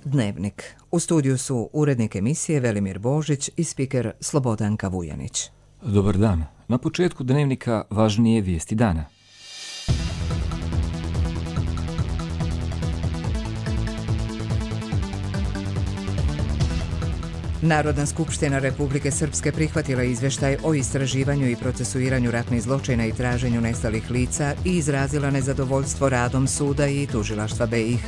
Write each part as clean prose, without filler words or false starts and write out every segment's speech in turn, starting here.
Dnevnik. U studiju su urednik emisije Velimir Božić i spiker Slobodanka Vujanić. Dobar dan. Na početku Dnevnika važnije vijesti dana. Narodna skupština Republike Srpske prihvatila izvještaj o istraživanju i procesuiranju ratnih zločina i traženju nestalih lica i izrazila nezadovoljstvo radom suda i tužilaštva BiH.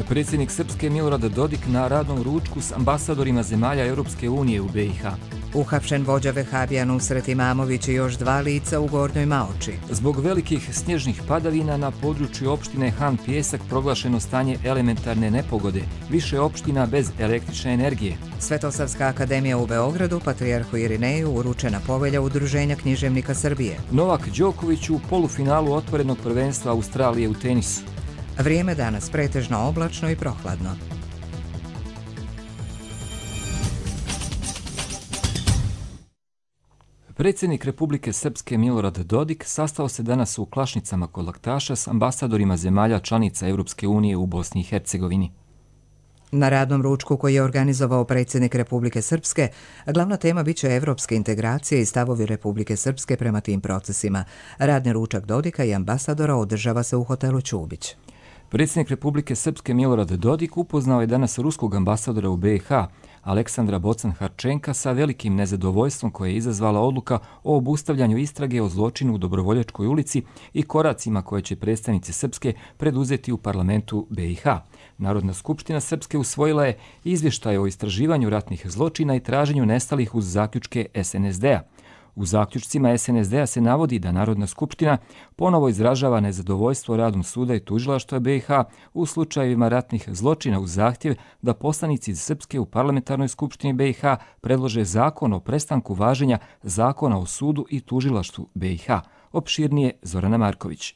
Predsjednik Srpske Milorad Dodik na radnom ručku s ambasadorima zemalja Europske unije u BiH. Uhapšen vođa Vehabija Nusret Imamović i još 2 lica u Gornjoj Maoči. Zbog velikih snježnih padavina na području opštine Han Pijesak proglašeno stanje elementarne nepogode, više opština bez električne energije. Svetosavska akademija u Beogradu patrijarhu Irineju uručena povelja Udruženja književnika Srbije. Novak Đoković u polufinalu otvorenog prvenstva Australije u tenisu. Vrijeme danas pretežno oblačno i prohladno. Predsjednik Republike Srpske Milorad Dodik sastao se danas u Klašnicama kod Laktaša s ambasadorima zemalja članica Europske unije u Bosni i Hercegovini. Na radnom ručku koji je organizovao predsjednik Republike Srpske, glavna tema biće evropske integracije i stavovi Republike Srpske prema tim procesima. Radni ručak Dodika i ambasadora održava se u hotelu Ćubić. Predsjednik Republike Srpske Milorad Dodik upoznao je danas ruskog ambasadora u BiH, Aleksandra Bocan-Harčenka, sa velikim nezadovoljstvom koje je izazvala odluka o obustavljanju istrage o zločinu u Dobrovoljačkoj ulici i koracima koje će predstavnici Srpske preduzeti u parlamentu BiH. Narodna skupština Srpske usvojila je izvještaj o istraživanju ratnih zločina i traženju nestalih uz zaključke SNSD-a. U zaključcima SNSD-a se navodi da Narodna skupština ponovo izražava nezadovoljstvo radom suda i tužilaštva BiH u slučajevima ratnih zločina uz zahtjev da poslanici iz Srpske u parlamentarnoj skupštini BiH predlože zakon o prestanku važenja Zakona o sudu i tužilaštvu BiH. Opširnije Zorana Marković.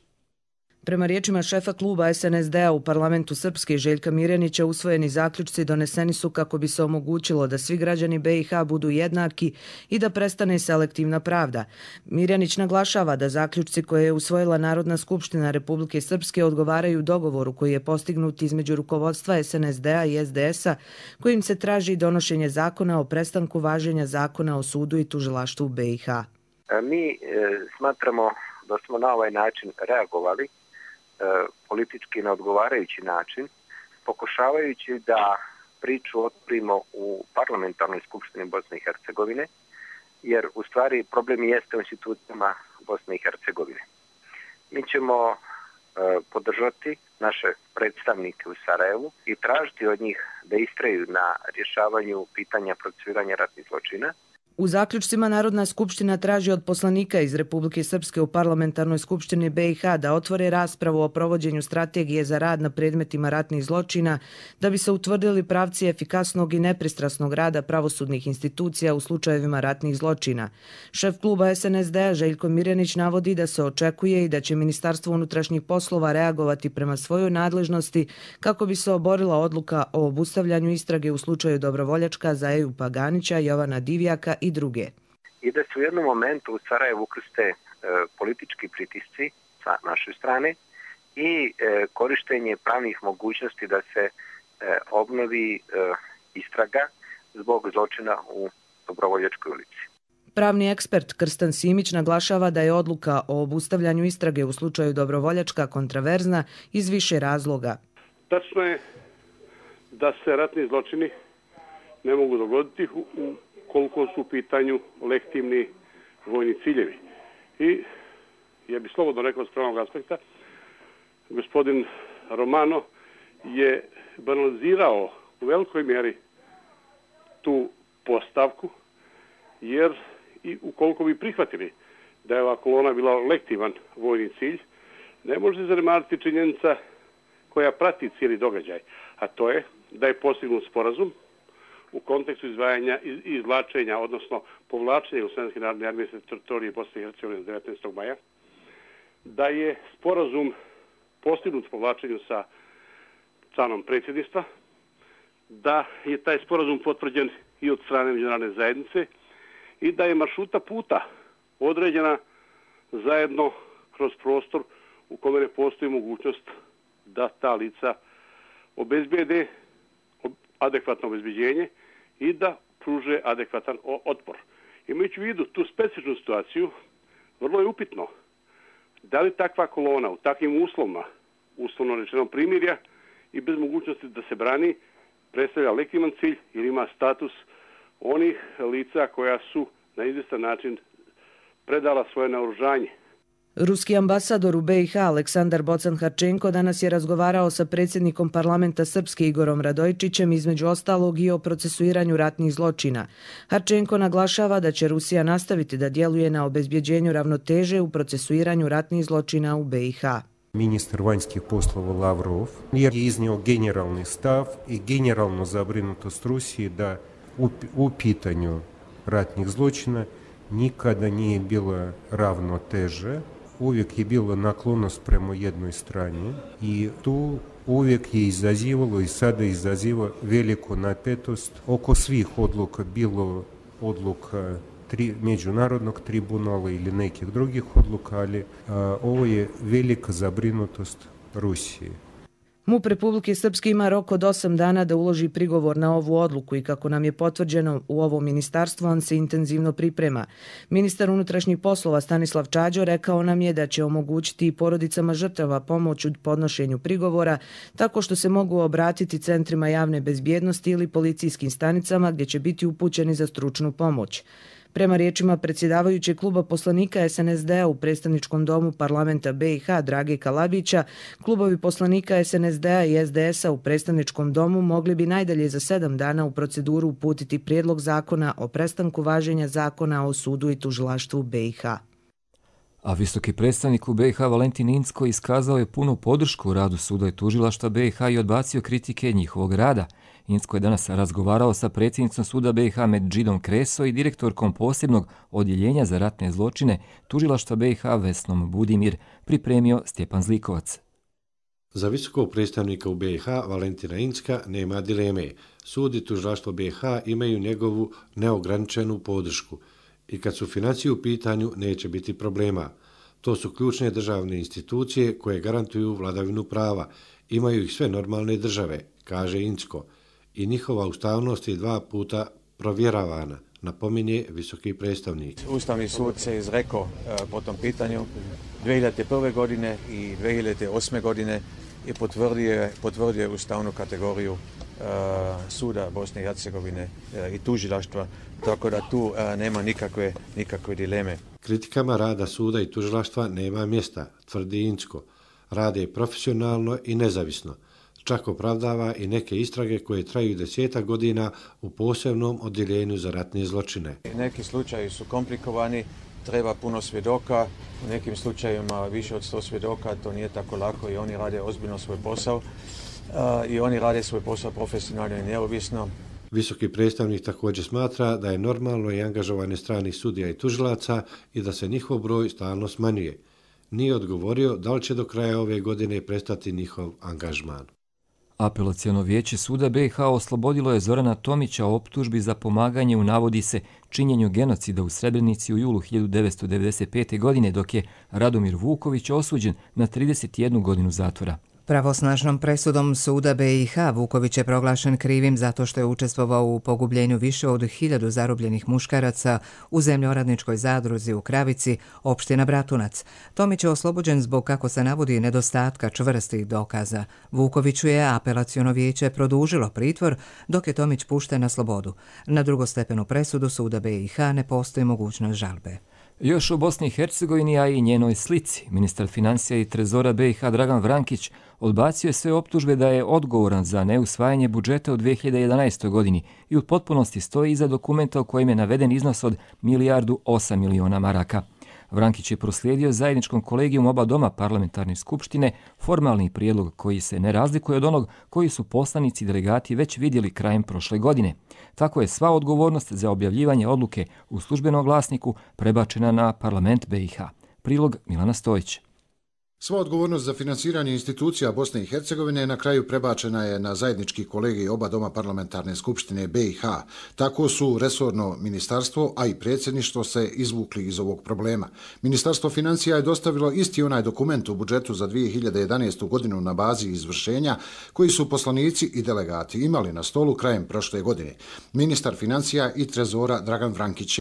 Prema riječima šefa kluba SNSD-a u parlamentu Srpske Željka Mirjanića, usvojeni zaključci doneseni su kako bi se omogućilo da svi građani BiH budu jednaki i da prestane selektivna pravda. Mirjanić naglašava da zaključci koje je usvojila Narodna skupština Republike Srpske odgovaraju dogovoru koji je postignut između rukovodstva SNSD-a i SDS-a, kojim se traži donošenje zakona o prestanku važenja Zakona o sudu i tužilaštvu BiH. Mi smatramo da smo na ovaj način reagovali politički na odgovarajući način, pokušavajući da priču otvorimo u parlamentarnoj skupštini Bosne i Hercegovine, jer u stvari problem jeste u institucijama Bosne i Hercegovine. Mi ćemo podržati naše predstavnike u Sarajevu i tražiti od njih da istraju na rješavanju pitanja procesuiranja ratnih zločina. U zaključcima Narodna skupština traži od poslanika iz Republike Srpske u parlamentarnoj skupštini BiH da otvore raspravu o provođenju strategije za rad na predmetima ratnih zločina da bi se utvrdili pravci efikasnog i nepristrasnog rada pravosudnih institucija u slučajevima ratnih zločina. Šef kluba SNSD-a Željko Mirjanić navodi da se očekuje i da će Ministarstvo unutrašnjih poslova reagovati prema svojoj nadležnosti kako bi se oborila odluka o obustavljanju istrage u slučaju Dobrovoljačka za Ejupa Ganića, Jovana Divjaka i druge. I da se u jednom momentu u Sarajevu ukrste politički pritisci sa naše strane i korištenje pravnih mogućnosti da se obnovi istraga zbog zločina u Dobrovoljačkoj ulici. Pravni ekspert Krstan Simić naglašava da je odluka o obustavljanju istrage u slučaju Dobrovoljačka kontraverzna iz više razloga. Tačno je da se ratni zločini ne mogu dogoditi koliko su u pitanju legitimni vojni ciljevi. I ja bih slobodno rekao s pravnog aspekta, gospodin Romano je banalizirao u velikoj mjeri tu postavku, jer i ukoliko bi prihvatili da je ova kolona bila legitiman vojni cilj, ne može se zanemariti činjenica koja prati cijeli događaj, a to je da je postignut sporazum u kontekstu izdvajanja i izvlačenja, odnosno povlačenja Jugoslavijske narodne armije sa teritorije Bosne i Hercegovine 19. maja, da je sporazum postignut s povlačenju sa članom predsjedništva, da je taj sporazum potvrđen i od strane međunarodne zajednice i da je maršruta puta određena zajedno kroz prostor u kome ne postoji mogućnost da ta lica obezbijede adekvatno obezbeđenje i da pruže adekvatan otpor. Imajući u vidu tu specifičnu situaciju, vrlo je upitno da li takva kolona u takvim uslovima, uslovno rečeno primirja i bez mogućnosti da se brani, predstavlja legitiman cilj ili ima status onih lica koja su na izvjestan način predala svoje naoružanje. Ruski ambasador u BiH Aleksandar Bocan-Harčenko danas je razgovarao sa predsjednikom parlamenta Srpske Igorom Radojičićem, između ostalog i o procesuiranju ratnih zločina. Harčenko naglašava da će Rusija nastaviti da djeluje na obezbjeđenju ravnoteže u procesuiranju ratnih zločina u BiH. Ministar vanjskih poslova Lavrov je iznio generalni stav i generalnu zabrinutost Rusije da u pitanju ratnih zločina nikada nije bila ravnoteža, uvijek je bila naklonost prema jednoj strani i tu uvijek je izazivalo i sada izaziva veliku napetost oko svih odluka, bilo odluka međunarodnog tribunala ili nekih drugih odluka, ali ovo je velika zabrinutost Rusije. MUP Republike Srpske ima rok od 8 dana da uloži prigovor na ovu odluku i kako nam je potvrđeno u ovo ministarstvo, on se intenzivno priprema. Ministar unutrašnjih poslova Stanislav Čađo rekao nam je da će omogućiti i porodicama žrtava pomoć u podnošenju prigovora tako što se mogu obratiti centrima javne bezbjednosti ili policijskim stanicama gdje će biti upućeni za stručnu pomoć. Prema riječima predsjedavajućeg kluba poslanika SNSD-a u predstavničkom domu parlamenta BiH Drage Kalabića, klubovi poslanika SNSD-a i SDS-a u predstavničkom domu mogli bi najdalje za 7 dana u proceduru uputiti prijedlog zakona o prestanku važenja zakona o sudu i tužilaštvu BiH. A visoki predstavnik u BiH Valentin Incko iskazao je punu podršku u radu suda i tužilaštva BiH i odbacio kritike njihovog rada. Incko je danas razgovarao sa predsjednicom suda BiH Medžidom Kreso i direktorkom posebnog odjeljenja za ratne zločine tužilaštva BiH Vesnom Budimir, pripremio Stjepan Zlikovac. Za visokog predstavnika u BiH Valentina Incka nema dileme. Sud i tužilaštvo BiH imaju njegovu neograničenu podršku i kad su financije u pitanju neće biti problema. To su ključne državne institucije koje garantuju vladavinu prava. Imaju ih sve normalne države, kaže Incko. I njihova ustavnost je 2 puta provjeravana, napominje visoki predstavnik. Ustavni sud se izrekao po tom pitanju 2001. godine i 2008. godine i potvrdio ustavnu kategoriju suda Bosne i Hercegovine i tužilaštva, tako da tu nema nikakve dileme. Kritikama rada suda i tužilaštva nema mjesta, tvrdi Incko. Rade profesionalno i nezavisno. Čak opravdava i neke istrage koje traju 10 godina u posebnom odjeljenju za ratne zločine. Neki slučaji su komplikovani, treba puno svjedoka, u nekim slučajima više od 100 svjedoka, to nije tako lako i oni rade ozbiljno svoj posao i oni rade svoj posao profesionalno i neovisno. Visoki predstavnik također smatra da je normalno i angažovanje stranih sudija i tužilaca i da se njihov broj stalno smanjuje. Nije odgovorio da li će do kraja ove godine prestati njihov angažman. Apelaciono vijeće suda BiH oslobodilo je Zorana Tomića o optužbi za pomaganje u, navodi se, činjenju genocida u Srebrenici u julu 1995. godine, dok je Radomir Vuković osuđen na 31 godinu zatvora. Pravosnažnom presudom suda BiH Vuković je proglašen krivim zato što je učestvovao u pogubljenju više od 1000 zarobljenih muškaraca u zemljoradničkoj zadruzi u Kravici, opština Bratunac. Tomić je oslobođen zbog, kako se navodi, nedostatka čvrstih dokaza. Vukoviću je apelaciono vijeće produžilo pritvor, dok je Tomić pušten na slobodu. Na drugostepenu presudu suda BiH ne postoji mogućnost žalbe. Još u Bosni i Hercegovini, a i njenoj slici, ministar financija i trezora BiH Dragan Vrankić odbacio je sve optužbe da je odgovoran za neusvajanje budžeta u 2011. godini i u potpunosti stoji iza dokumenta u kojem je naveden iznos od 1,8 milijardi maraka. Vrankić je proslijedio zajedničkom kolegijum oba doma parlamentarne skupštine formalni prijedlog koji se ne razlikuje od onog koji su poslanici i delegati već vidjeli krajem prošle godine. Tako je sva odgovornost za objavljivanje odluke u službenom glasniku prebačena na parlament BiH. Prilog Milana Stojić. Sva odgovornost za finansiranje institucija Bosne i Hercegovine na kraju prebačena je na zajednički kolegij oba doma parlamentarne skupštine BiH. Tako su resorno ministarstvo, a i predsjedništvo se izvukli iz ovog problema. Ministarstvo financija je dostavilo isti onaj dokument u budžetu za 2011. godinu na bazi izvršenja koji su poslanici i delegati imali na stolu krajem prošle godine. Ministar financija i trezora Dragan Vrankić.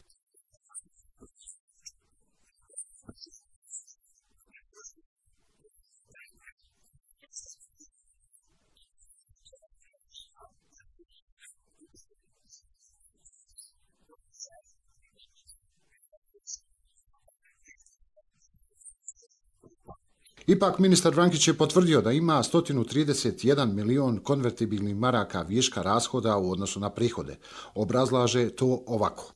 Ipak, ministar Vrankić je potvrdio da ima 131 milion konvertibilnih maraka viška rashoda u odnosu na prihode. Obrazlaže to ovako.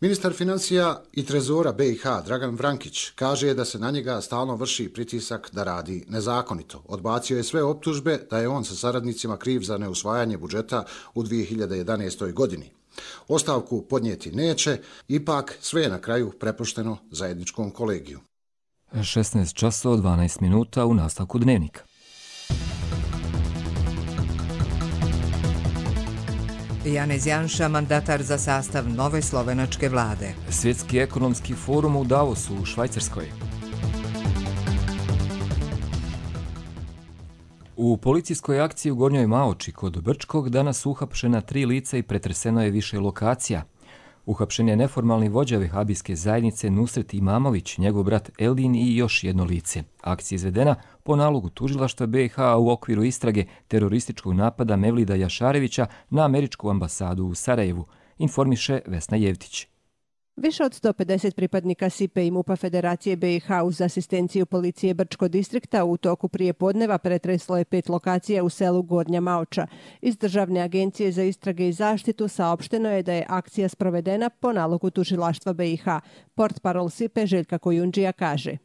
Ministar financija i trezora BiH Dragan Vrankić kaže da se na njega stalno vrši pritisak da radi nezakonito. Odbacio je sve optužbe da je on sa saradnicima kriv za neusvajanje budžeta u 2011. godini. Ostavku podnijeti neće, ipak sve je na kraju prepušteno zajedničkom kolegiju. 16 časova 12 minuta u nastavku dnevnika. Janez Janša, mandatar za sastav nove slovenačke vlade. Svjetski ekonomski forum u Davosu u Švajcarskoj. U policijskoj akciji u Gornjoj Maoči kod Brčkog danas su uhapšena 3 lica i pretreseno je više lokacija. Uhapšen je neformalni vođa vehabijske zajednice Nusret Imamović, njegov brat Eldin i još jedno lice. Akcija izvedena po nalogu tužilaštva BiH u okviru istrage terorističkog napada Mevlida Jašarevića na američku ambasadu u Sarajevu, informiše Vesna Jevtić. Više od 150 pripadnika SIPE i MUPA Federacije BiH uz asistenciju policije Brčko distrikta u toku prije podneva pretreslo je 5 lokacija u selu Gornja Maoča. Iz Državne agencije za istrage i zaštitu saopšteno je da je akcija sprovedena po nalogu tužilaštva BiH. Portparol SIPE Željka Kojundžija kaže: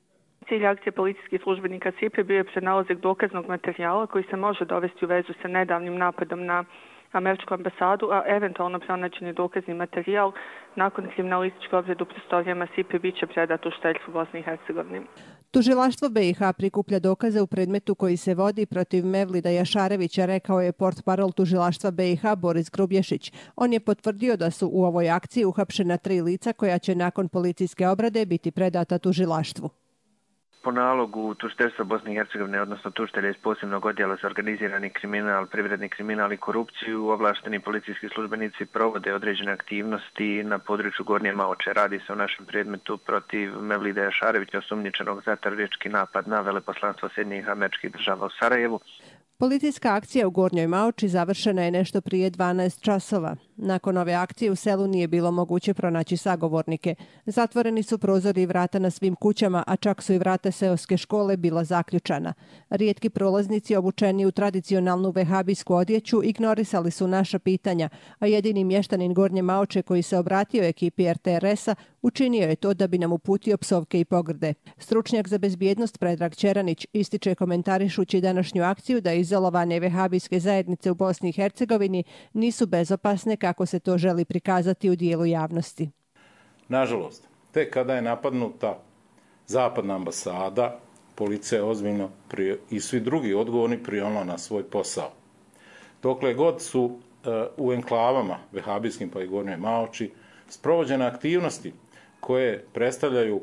Cilj akcije policijskih službenika SIPE bio je pronalazak dokaznog materijala koji se može dovesti u vezu sa nedavnim napadom na američku ambasadu, a eventualno pronađeni dokazni materijal nakon kriminalističke obrade u prostorijama SIPE bit će predat u šteljstvu Bosne i Hercegovine. Tužilaštvo BiH prikuplja dokaze u predmetu koji se vodi protiv Mevlida Jašarevića, rekao je portparol tužilaštva BiH Boris Grubješić. On je potvrdio da su u ovoj akciji uhapšena 3 lica koja će nakon policijske obrade biti predata tužilaštvu. Po nalogu tužiteljstva Bosne i Hercegovine, odnosno tužitelja iz posebnog odjela za organizirani kriminal, privredni kriminal i korupciju, ovlašteni policijski službenici provode određene aktivnosti na području Gornje Maoče. Radi se o našem predmetu protiv Mevlida Jašarevića, osumnjičenog za teroristički napad na veleposlanstvo Sjedinjenih Američkih Država u Sarajevu. Policijska akcija u Gornjoj Maoči završena je nešto prije 12 časova. Nakon ove akcije u selu nije bilo moguće pronaći sagovornike. Zatvoreni su prozori i vrata na svim kućama, a čak su i vrata seoske škole bila zaključana. Rijetki prolaznici obučeni u tradicionalnu vehabijsku odjeću ignorisali su naša pitanja, a jedini mještanin Gornje Maoče koji se obratio ekipi RTRS-a učinio je to da bi nam uputio psovke i pogrde. Stručnjak za bezbjednost Predrag Čeranić ističe komentarišući današnju akciju da izolovane vehabijske zajednice u Bosni i Hercegovini nisu bezopasne kako se to želi prikazati u dijelu javnosti. Nažalost, tek kada je napadnuta zapadna ambasada, policija je ozbiljno i svi drugi odgovorni prionula na svoj posao. Dokle god su u enklavama vehabijskim pa i Gornjoj Maoči sprovođene aktivnosti koje predstavljaju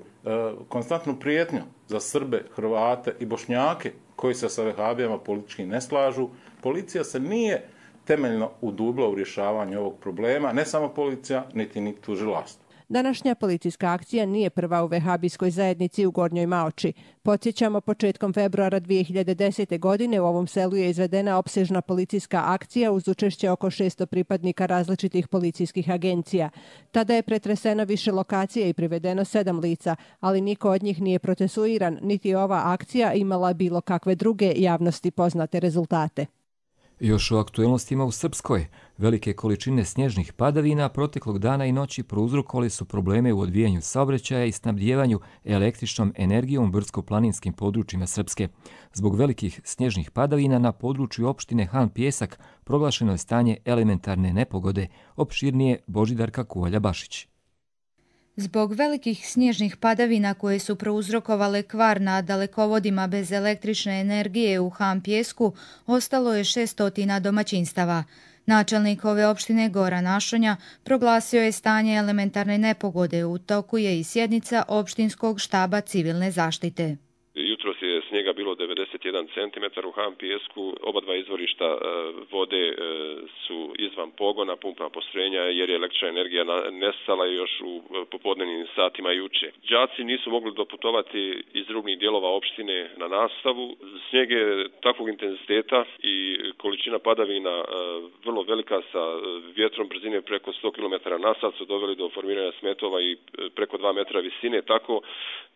konstantnu prijetnju za Srbe, Hrvate i Bošnjake koji se sa vehabijama politički ne slažu, policija se nije temeljno udubila u rješavanju ovog problema, ne samo policija, niti tužilaštvo. Današnja policijska akcija nije prva u vehabijskoj zajednici u Gornjoj Maoči. Podsjećamo, početkom februara 2010. godine u ovom selu je izvedena opsežna policijska akcija uz učešće oko 600 pripadnika različitih policijskih agencija. Tada je pretreseno više lokacija i privedeno 7 lica, ali niko od njih nije procesuiran, niti ova akcija imala bilo kakve druge javnosti poznate rezultate. Još o aktuelnostima u Srpskoj. Velike količine snježnih padavina proteklog dana i noći prouzrokovali su probleme u odvijanju saobraćaja i snabdijevanju električnom energijom u brdsko-planinskim područjima Srpske. Zbog velikih snježnih padavina na području opštine Han Pjesak proglašeno je stanje elementarne nepogode, opširnije Božidarka Kuvalja-Bašić. Zbog velikih snježnih padavina koje su prouzrokovale kvar na dalekovodima bez električne energije u Han Pjesku, ostalo je 600 domaćinstava. Načelnik ove opštine Goran Ašonja proglasio je stanje elementarne nepogode, u toku je i sjednica opštinskog štaba civilne zaštite. Jutros je snijega bilo 91 cm u Han Pjesku, oba dva izvorišta vode su izvan pogona, pumpna postrojenja jer je električna energija nestala još u popodnevnim satima juče. Đaci nisu mogli doputovati iz rubnih dijelova opštine na nastavu. Snijeg je takvog intenziteta i količina padavina vrlo velika sa vjetrom brzine preko 100 km na sat su doveli do formiranja smetova i preko 2 metra visine, tako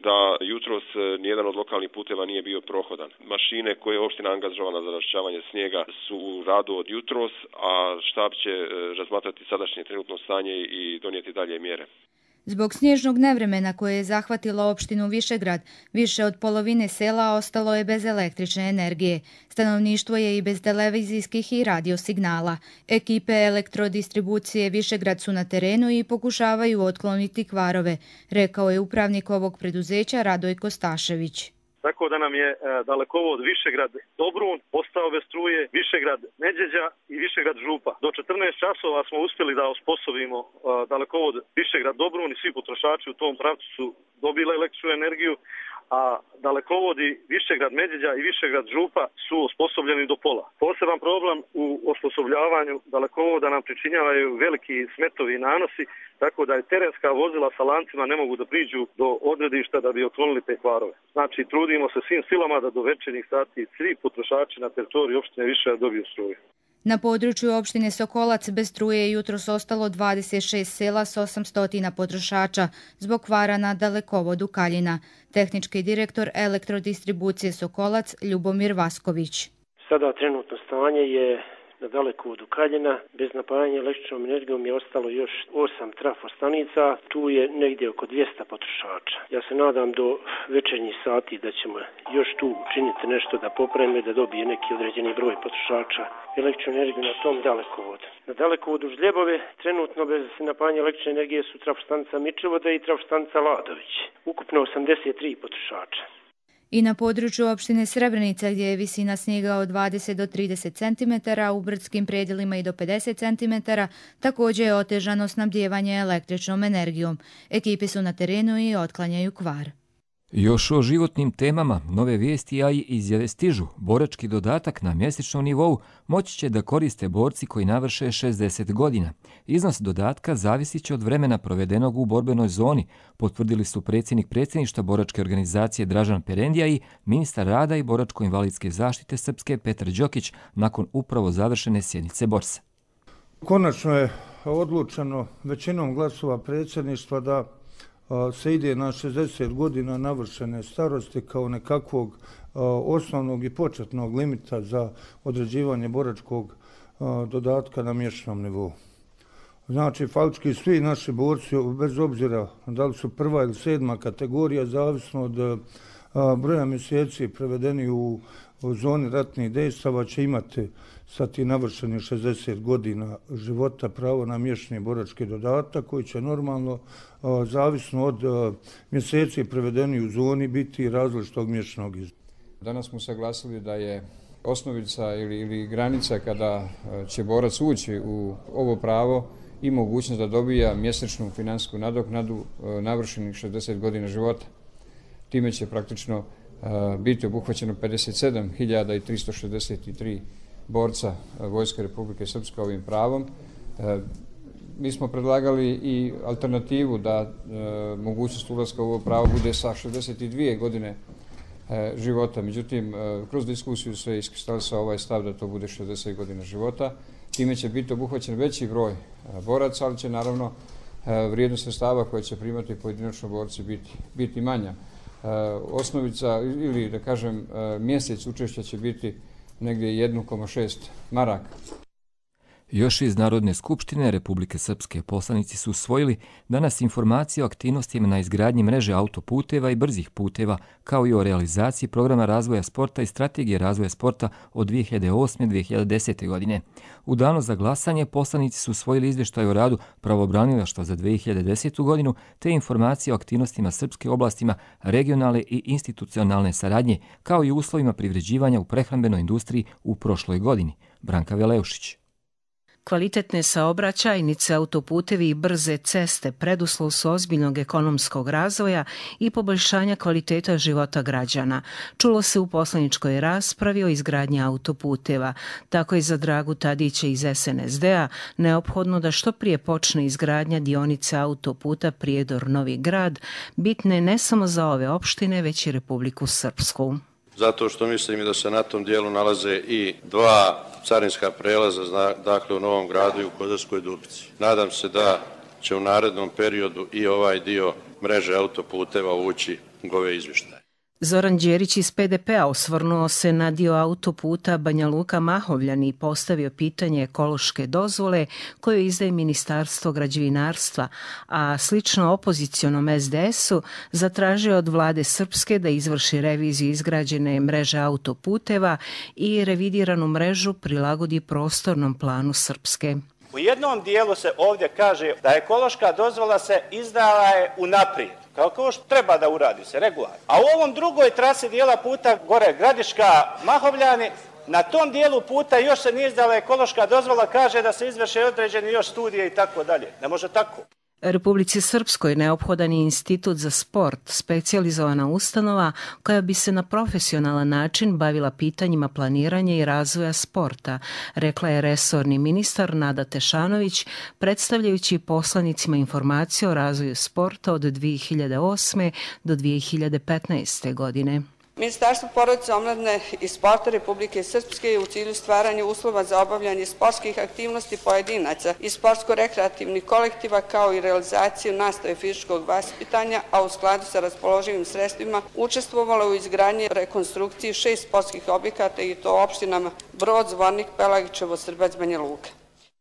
da jutros nijedan od lokalnih puteva nije bio prohodan. Mašine koje je opština angažovala za raščišćavanje snijega su u radu od jutros, a štab će razmatrati sadašnje trenutno stanje i donijeti dalje mjere. Zbog snježnog nevremena koje je zahvatilo opštinu Višegrad, više od polovine sela ostalo je bez električne energije. Stanovništvo je i bez televizijskih i radio signala. Ekipe elektrodistribucije Višegrad su na terenu i pokušavaju otkloniti kvarove, rekao je upravnik ovog preduzeća Radojko Stašević. Tako da nam je dalekovod Višegrad Dobrun ostao bez struje, Višegrad Međeđa i Višegrad Župa. Do 14 časova smo uspjeli da osposobimo dalekovod Višegrad Dobrun i svi potrošači u tom pravcu su dobili električnu energiju, a dalekovodi Višegrad Međeđa i Višegrad Župa su osposobljeni do pola. Poseban problem u osposobljavanju dalekovoda nam pričinjavaju veliki smetovi i nanosi, tako da je terenska vozila sa lancima ne mogu da priđu do odredišta da bi otklonili te kvarove. Znači, trudimo se svim silama da do večernjih sati svi potrošači na teritoriji opštine Višegrad dobiju struju. Na području opštine Sokolac bez struje je jutros ostalo 26 sela s 800 potrošača zbog kvara na dalekovodu Kaljina. Tehnički direktor elektrodistribucije Sokolac Ljubomir Vasković. Sada trenutno stanje je na dalekovodu Kaljina. Bez napajanja električnom energijom je ostalo još 8 trafostanica. Tu je negdje oko 200 potrošača. Ja se nadam do večernjih sati da ćemo još tu učiniti nešto da popravimo da dobije neki određeni broj potrošača električnu energiju na tom dalekovodu. Na dalekovodu Žljebove trenutno bez napajanja električne energije su trafostanica Mičevoda i trafostanica Ladović. Ukupno 83 potrošača. I na području opštine Srebrenica gdje je visina snijega od 20 do 30 cm, u brdskim predjelima i do 50 cm, također je otežano snabdijevanje električnom energijom. Ekipe su na terenu i otklanjaju kvar. Još o životnim temama, nove vijesti, a i izjave stižu. Borački dodatak na mjesečnom nivou moći će da koriste borci koji navrše 60 godina. Iznos dodatka zavisit će od vremena provedenog u borbenoj zoni, potvrdili su predsjednik predsjedništva boračke organizacije Dražan Perendija i ministar rada i boračko-invalidske zaštite Srpske Petar Đokić nakon upravo završene sjednice borsa. Konačno je odlučeno većinom glasova predsjedništva da se ide na 60 godina navršene starosti kao nekakvog osnovnog i početnog limita za određivanje boračkog dodatka na mjesečnom nivou. Znači, faktički svi naši borci, bez obzira da li su prva ili sedma kategorija, zavisno od broja mjeseci prevedeni u zoni ratnih dejstava, će imati sa ti navršenih 60 godina života pravo na mjesečni borački dodatak koji će normalno, zavisno od mjeseci prevedeni u zoni, biti različitog mjesečnog iznosa. Danas smo saglasili da je osnovica ili granica kada će borac ući u ovo pravo i mogućnost da dobija mjesečnu finansijsku nadoknadu navršenih 60 godina života. Time će praktično biti obuhvaćeno 57.363 borca Vojske Republike Srpske ovim pravom. Mi smo predlagali i alternativu da mogućnost ulaska u ovo pravo bude sa 62 godine života. Međutim, kroz diskusiju se iskristalisao ovaj stav da to bude 60 godina života. Time će biti obuhvaćen veći broj boraca, ali će naravno vrijednost sredstava koje će primati pojedinačno borci biti manja. Osnovica ili da kažem mjesec učešća će biti negdje 1,6 maraka. Još iz Narodne skupštine Republike Srpske poslanici su usvojili danas informacije o aktivnostima na izgradnji mreže autoputeva i brzih puteva, kao i o realizaciji programa razvoja sporta i strategije razvoja sporta od 2008-2010. godine. U danu za glasanje poslanici su usvojili izvještaj o radu pravobranilaštva za 2010. godinu te informacije o aktivnostima srpske oblastima regionalne i institucionalne saradnje, kao i uslovima privređivanja u prehrambenoj industriji u prošloj godini. Branka Veleušić. Kvalitetne saobraćajnice, autoputevi i brze ceste preduslov su ozbiljnog ekonomskog razvoja i poboljšanja kvaliteta života građana. Čulo se u poslaničkoj raspravi o izgradnji autoputeva. Tako je za Dragu Tadića iz SNSD-a neophodno da što prije počne izgradnja dionice autoputa Prijedor-Novi Grad, bitne ne samo za ove opštine, već i Republiku Srpsku. Zato što mislim da se na tom dijelu nalaze i 2 carinska prelaza, dakle u Novom Gradu i u Kozarskoj Dubici. Nadam se da će u narednom periodu i ovaj dio mreže autoputeva ući u ove izvještaje. Zoran Đerić iz PDP-a osvrnuo se na dio autoputa Banja Luka-Mahovljani i postavio pitanje ekološke dozvole koju izdaje Ministarstvo građevinarstva, a slično opozicionom SDS-u zatražio od vlade Srpske da izvrši reviziju izgrađene mreže autoputeva i revidiranu mrežu prilagodi prostornom planu Srpske. U jednom dijelu se ovdje kaže da ekološka dozvola se izdala je unaprijed, kao što treba da uradi se regularno. A u ovom drugoj trasi dijela puta gore Gradiška-Mahovljani, na tom dijelu puta još se nije izdala ekološka dozvola, kaže da se izvrše određeni još studije i tako dalje. Ne može tako. Republici Srpskoj neophodan je institut za sport, specijalizovana ustanova koja bi se na profesionalan način bavila pitanjima planiranja i razvoja sporta, rekla je resorni ministar Nada Tešanović, predstavljajući poslanicima informacije o razvoju sporta od 2008. do 2015. godine. Ministarstvo porodice, omladine i sporta Republike Srpske je u cilju stvaranja uslova za obavljanje sportskih aktivnosti pojedinaca i sportsko-rekreativnih kolektiva kao i realizaciju nastave fizičkog vaspitanja, a u skladu sa raspoloživim sredstvima učestvovala u izgradnji rekonstrukciji 6 sportskih objekata i to u opštinama Brod, Zvornik, Pelagićevo, Srbac, Banja Luka.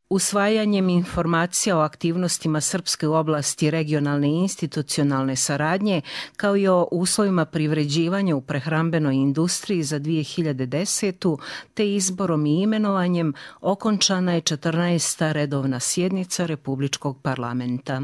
Usvajanjem informacija o aktivnostima Srpske u oblasti regionalne i institucionalne saradnje, kao i o uslovima privređivanja u prehrambenoj industriji za 2010. te izborom i imenovanjem, okončana je 14. redovna sjednica Republičkog parlamenta.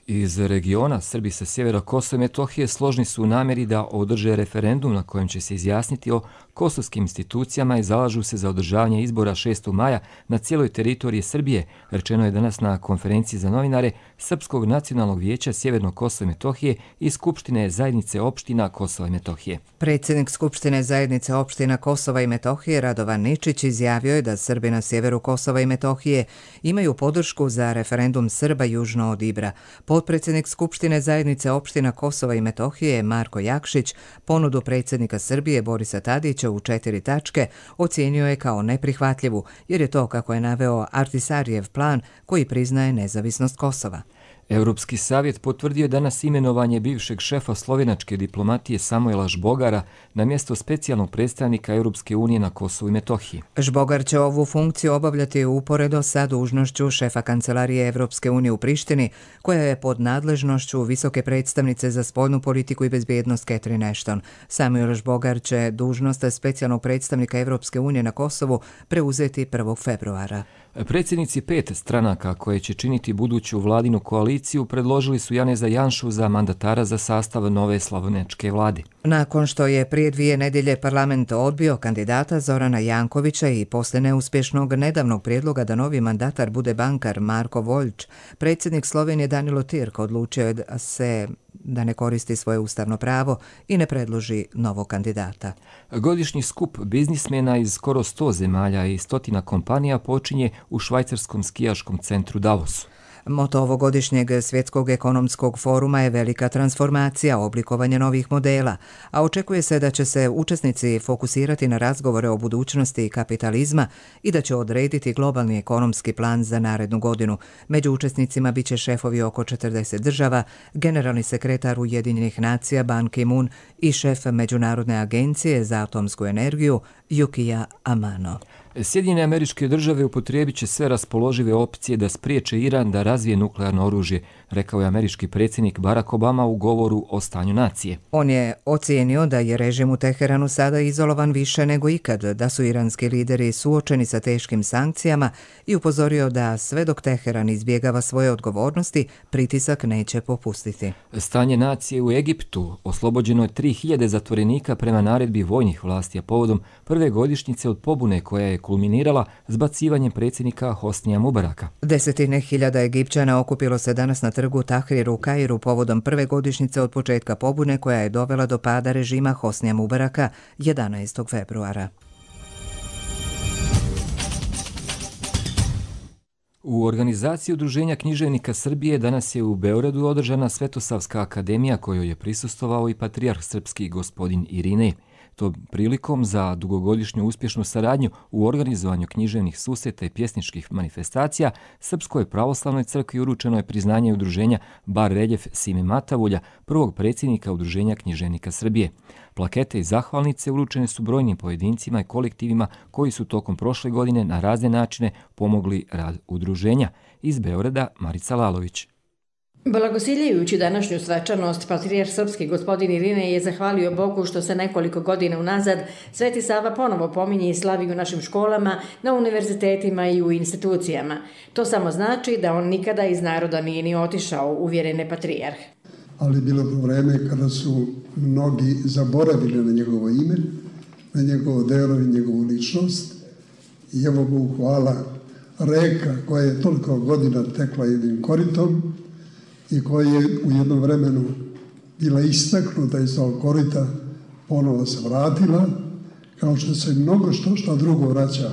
Iz regiona Srbi sa sjevera Kosova i Metohije složni su u namjeri da održe referendum na kojem će se izjasniti o kosovskim institucijama i zalažu se za održavanje izbora 6. maja na cijeloj teritoriji Srbije, rečeno je danas na konferenciji za novinare Srpskog nacionalnog vijeća Sjevernog Kosova i Metohije i Skupštine zajednice opština Kosova i Metohije. Predsjednik Skupštine zajednice opština Kosova i Metohije Radovan Ničić izjavio je da Srbi na sjeveru Kosova i Metohije imaju podršku za referendum Srba južno od Ibra. Potpredsjednik Skupštine zajednice opština Kosova i Metohije Marko Jakšić ponudu predsjednika Srbije Borisa Tadića u 4 tačke ocijenio je kao neprihvatljivu, jer je to, kako je naveo, Artisarijev plan koji priznaje nezavisnost Kosova. Europski savjet potvrdio danas imenovanje bivšeg šefa slovenačke diplomatije Samuela Žbogara na mjesto specijalnog predstavnika Europske unije na Kosovu i Metohiji. Žbogar će ovu funkciju obavljati uporedo sa dužnošću šefa kancelarije Europske unije u Prištini, koja je pod nadležnošću visoke predstavnice za spoljnu politiku i bezbjednost Catherine Ashton. Samuel Žbogar će dužnost specijalnog predstavnika Europske unije na Kosovu preuzeti 1. februara. Predsjednici 5 stranaka koje će činiti buduću vladinu koaliciju predložili su Janeza Janšu za mandatara za sastav nove slovenačke vlade. Nakon što je prije 2 nedjelje parlament odbio kandidata Zorana Jankovića i posle neuspješnog nedavnog prijedloga da novi mandatar bude bankar Marko Voljč, predsjednik Slovenije Danilo Tirk odlučio je da ne koristi svoje ustavno pravo i ne predloži novog kandidata. Godišnji skup biznismena iz skoro 100 zemalja i 100 kompanija počinje u švajcarskom skijaškom centru Davosu. Moto ovogodišnjeg Svjetskog ekonomskog foruma je velika transformacija, oblikovanje novih modela, a očekuje se da će se učesnici fokusirati na razgovore o budućnosti kapitalizma i da će odrediti globalni ekonomski plan za narednu godinu. Među učesnicima biće šefovi oko 40 država, generalni sekretar Ujedinjenih nacija Ban Ki-moon i šef Međunarodne agencije za atomsku energiju Yukio Amano. Sjedinjene Američke Države upotrijebit će sve raspoložive opcije da spriječe Iran da razvije nuklearno oružje, rekao je američki predsjednik Barack Obama u govoru o stanju nacije. On je ocijenio da je režim u Teheranu sada izolovan više nego ikad, da su iranski lideri suočeni sa teškim sankcijama i upozorio da sve dok Teheran izbjegava svoje odgovornosti, pritisak neće popustiti. Stanje nacije u Egiptu. Oslobođeno je 3000 zatvorenika prema naredbi vojnih vlasti, a povodom prve godišnjice od pobune koja je kulminirala zbacivanjem predsjednika Hosnija Mubaraka. Desetine hiljada Egipćana okupilo se danas na trgu Tahrir u Kairu povodom prve godišnjice od početka pobune koja je dovela do pada režima Hosnija Mubaraka 11. februara. U organizaciji Udruženja književnika Srbije danas je u Beogradu održana Svetosavska akademija kojoj je prisustvovao i patrijarh srpski gospodin Irinej. To prilikom za dugogodišnju uspješnu saradnju u organizovanju književnih susreta i pjesničkih manifestacija Srpskoj pravoslavnoj crkvi uručeno je priznanje udruženja Bar reljef Sime Matavulja, prvog predsjednika Udruženja književnika Srbije. Plakete i zahvalnice uručene su brojnim pojedincima i kolektivima koji su tokom prošle godine na razne načine pomogli rad udruženja. Iz Beograda Marica Lalović. Blagosiljajući današnju svečanost, patrijarh srpski gospodin Irinej je zahvalio Bogu što se nekoliko godina unazad Sveti Sava ponovo pominje i slavi u našim školama, na univerzitetima i u institucijama. To samo znači da on nikada iz naroda nije ni otišao, uvjeren je patrijarh. Ali bilo je vreme kada su mnogi zaboravili na njegovo ime, na njegovo delo i njegovu ličnost. I evo Bogu hvala, reka koja je toliko godina tekla jednim koritom i koja je u jednom vremenu bila istaknuta iz tog korita, ponovo se vratila, kao što se mnogo što drugo vraća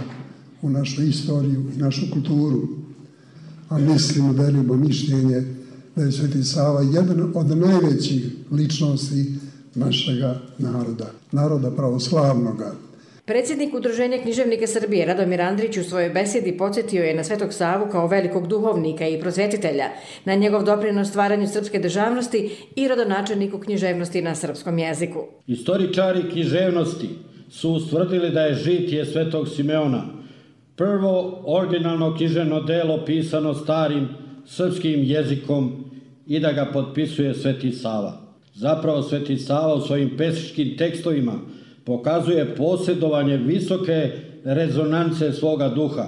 u našu istoriju i našu kulturu. A mislimo, delimo mišljenje da je Sveti Sava jedan od najvećih ličnosti našega naroda, naroda pravoslavnoga. Predsjednik Udruženja književnika Srbije Radomir Andrić u svojoj besedi podsjetio je na Svetog Savu kao velikog duhovnika i prosvjetitelja, na njegov doprinos stvaranju srpske državnosti i rodonačelniku književnosti na srpskom jeziku. Istoričari književnosti su ustvrdili da je žitije Svetog Simeona prvo originalno književno delo pisano starim srpskim jezikom i da ga potpisuje Sveti Sava. Zapravo Sveti Sava u svojim pesničkim tekstovima pokazuje posjedovanje visoke rezonance svoga duha,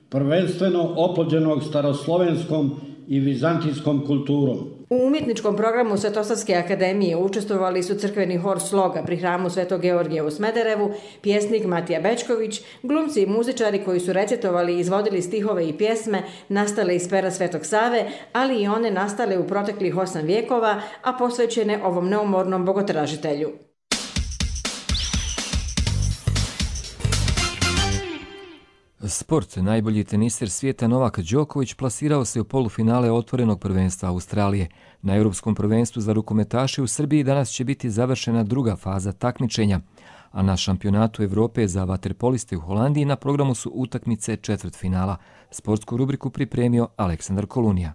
prvenstveno oplođenog staroslovenskom i vizantijskom kulturom. U umjetničkom programu Svetosavske akademije učestvovali su crkveni hor Sloga pri hramu Svetog Georgija u Smederevu, pjesnik Matija Bečković, glumci i muzičari koji su recitovali i izvodili stihove i pjesme nastale iz pera Svetog Save, ali i one nastale u proteklih 8 vijekova, a posvećene ovom neumornom bogotražitelju. Sport. Najbolji teniser svijeta Novak Đoković plasirao se u polufinale otvorenog prvenstva Australije. Na Europskom prvenstvu za rukometaše u Srbiji danas će biti završena druga faza takmičenja, a na šampionatu Evrope za vaterpoliste u Holandiji na programu su utakmice četvrtfinala. Sportsku rubriku pripremio Aleksandar Kolunija.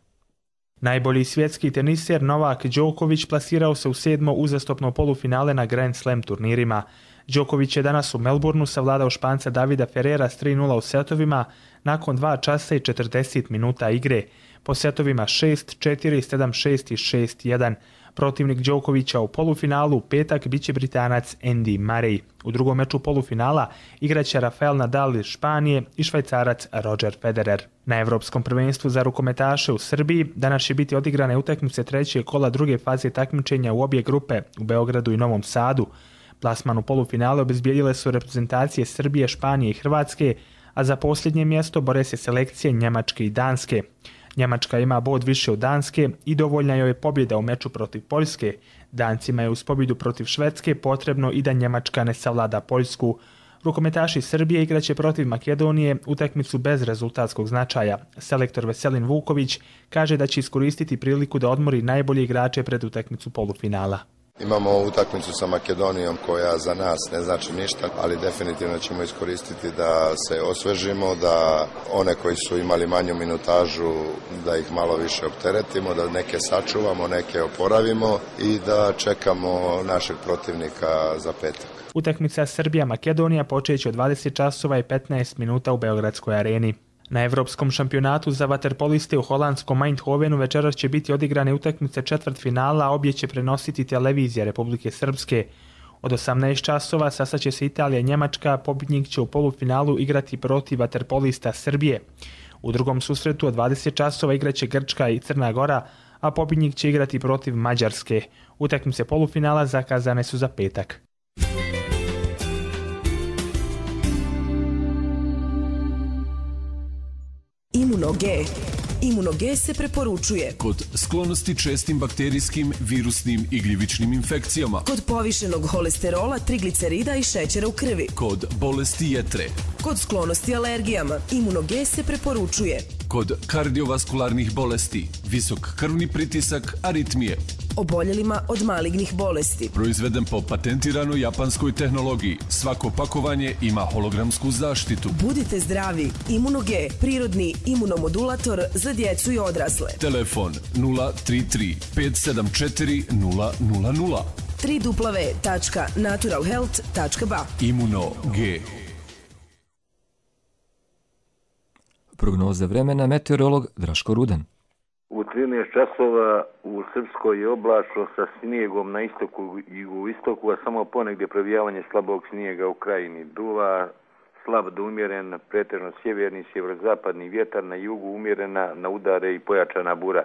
Najbolji svjetski teniser Novak Đoković plasirao se u 7. uzastopno polufinale na Grand Slam turnirima. Đoković je danas u Melbourneu savladao Španca Davida Ferrera s 3:0 u setovima nakon 2 časa i 40 minuta igre. Po setovima 6-4, 7-6 i 6-1. Protivnik Đokovića u polufinalu u petak biće Britanac Andy Murray. U drugom meču polufinala igraće Rafael Nadal iz Španije i Švajcarac Roger Federer. Na Evropskom prvenstvu za rukometaše u Srbiji danas će biti odigrane utakmice trećeg kola druge faze takmičenja u obje grupe u Beogradu i Novom Sadu. Plasman u polufinale obezbijedile su reprezentacije Srbije, Španije i Hrvatske, a za posljednje mjesto bore se selekcije Njemačke i Danske. Njemačka ima bod više od Danske i dovoljna joj je pobjeda u meču protiv Poljske. Dancima je uz pobjedu protiv Švedske potrebno i da Njemačka ne savlada Poljsku. Rukometaši Srbije igraće protiv Makedonije utakmicu bez rezultatskog značaja. Selektor Veselin Vuković kaže da će iskoristiti priliku da odmori najbolje igrače pred utakmicu polufinala. Imamo utakmicu sa Makedonijom koja za nas ne znači ništa, ali definitivno ćemo iskoristiti da se osvežimo, da one koji su imali manju minutažu, da ih malo više opteretimo, da neke sačuvamo, neke oporavimo i da čekamo našeg protivnika za petak. Utakmica Srbija-Makedonija počeće od 20 časova i 15 minuta u Beogradskoj areni. Na Evropskom šampionatu za vaterpoliste u holandskom Eindhovenu večeras će biti odigrane utakmice četvrtfinala, a obje će prenositi televizija Republike Srpske. Od 18 časova sastaće se Italija i Njemačka, pobjednik će u polufinalu igrati protiv vaterpolista Srbije. U drugom susretu od 20 časova igraće Grčka i Crna Gora, a pobjednik će igrati protiv Mađarske. Utakmice polufinala zakazane su za petak. Imuno-G. Imuno-G se preporučuje kod sklonosti čestim bakterijskim, virusnim i gljivičnim infekcijama, kod povišenog holesterola, triglicerida i šećera u krvi, kod bolesti jetre, kod sklonosti alergijama. Imuno-G se preporučuje kod kardiovaskularnih bolesti, visok krvni pritisak, aritmije, oboljelima od malignih bolesti. Proizveden po patentiranoj japanskoj tehnologiji. Svako pakovanje ima hologramsku zaštitu. Budite zdravi. Imuno-G, prirodni imunomodulator za djecu i odrasle. Telefon 033 574 000. www.naturalhealth.ba. Imuno-G. Prognoza vremena, meteorolog Draško Rudan. U 13 časova u Srpskoj je oblačno sa snijegom na istoku i jugoistoku, a samo ponegdje provijavanje slabog snijega u krajini. Duva slab do umjeren, pretežno sjeverni, sjeverozapadni vjetar, na jugu umjerena, na udare i pojačana bura.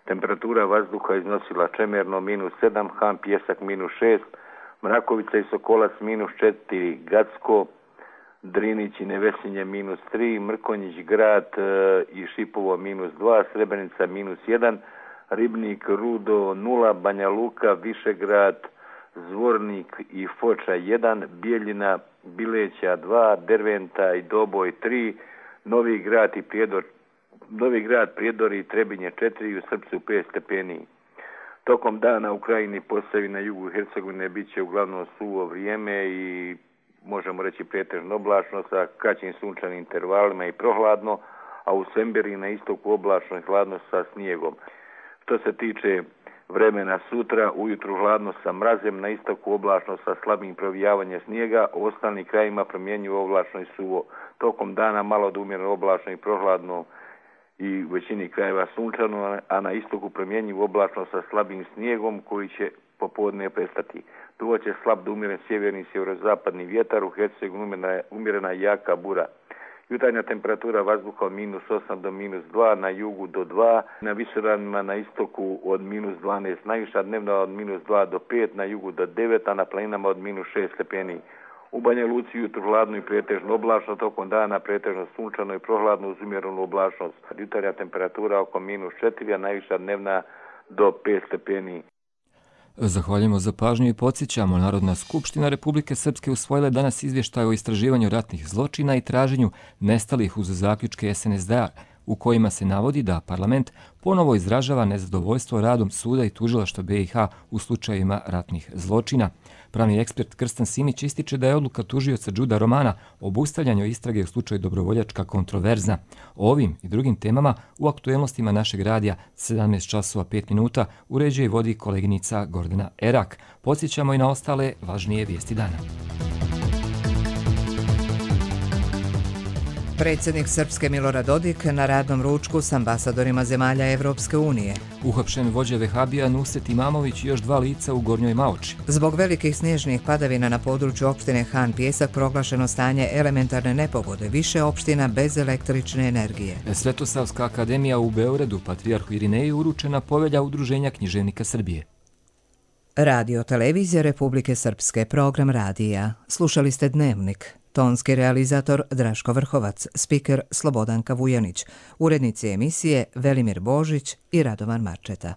Temperatura vazduha iznosila čemerno -7, Han Pjesak -6, Mrakovica i Sokolac -4, Gacko, Drinić i Nevesinje -3, Mrkonjić grad i Šipovo -2, Srebrenica -1, Ribnik, Rudo 0, Banja Luka, Višegrad, Zvornik i Foča 1, Bijeljina, Bileća 2, Derventa i Doboj 3, Novi grad, Prijedor i Trebinje 4 i u Srpcu 5 stepeni. Tokom dana u krajini Posavina, jugu Hercegovine bit će uglavnom suvo vrijeme i možemo reći pretežno oblačno sa kraćim sunčanim intervalima i prohladno, a u Semberi na istoku oblačno i hladno sa snijegom. Što se tiče vremena sutra, ujutru hladno sa mrazem, na istoku oblačno sa slabim provijavanjem snijega, u ostalim krajima promjenjuju oblačno i suvo. Tokom dana malo da umjereno oblačno i prohladno i u većini krajeva sunčano, a na istoku promjenjuju oblačno sa slabim snijegom koji će popodne prestati. Duvo će slab da umjeren sjeverni i sjeverozapadni vjetar, u Hercegovini umjerena jaka bura. Jutarnja temperatura vazduha od -8 do -2, na jugu do 2, na visoravnima na istoku od -12, najviša dnevna od -2 do 5, na jugu do 9, a na planinama od -6 stepeni. U Banja Luci jutro hladno i pretežno oblačno, tokom dana pretežno sunčano i prohladno uz umjerenu oblačnost. Jutarnja temperatura oko -4, a najviša dnevna do 5 stepeni. Zahvaljujemo za pažnju i podsjećamo, Narodna skupština Republike Srpske usvojila je danas izvještaj o istraživanju ratnih zločina i traženju nestalih uz zaključke SNSD-a, u kojima se navodi da parlament ponovo izražava nezadovoljstvo radom suda i tužilaštva BiH u slučajevima ratnih zločina. Pravni ekspert Krstan Simić ističe da je odluka tužioca Đuda Romana o obustavljanju istrage u slučaju Dobrovoljačka kontroverzna. O ovim i drugim temama u aktuelnostima našeg radija 17 časova 5 minuta uređuje i vodi koleginica Gordana Erak. Podsjećamo i na ostale važnije vijesti dana. Predsjednik Srpske Milorad Dodik na radnom ručku s ambasadorima zemalja Evropske unije. Uhapšen vođa Vehabija Nusret Imamović i još 2 lica u Gornjoj Maoči. Zbog velikih snježnih padavina na području opštine Han Pjesak proglašeno stanje elementarne nepogode, više opština bez električne energije. Svetosavska akademija u Beogradu patrijarhu Irineju uručena povelja Udruženja književnika Srbije. Radio televizija Republike Srpske, program radija. Slušali ste Dnevnik. Tonski realizator Draško Vrhovac, spiker Slobodanka Vujanić, urednici emisije Velimir Božić i Radovan Marčeta.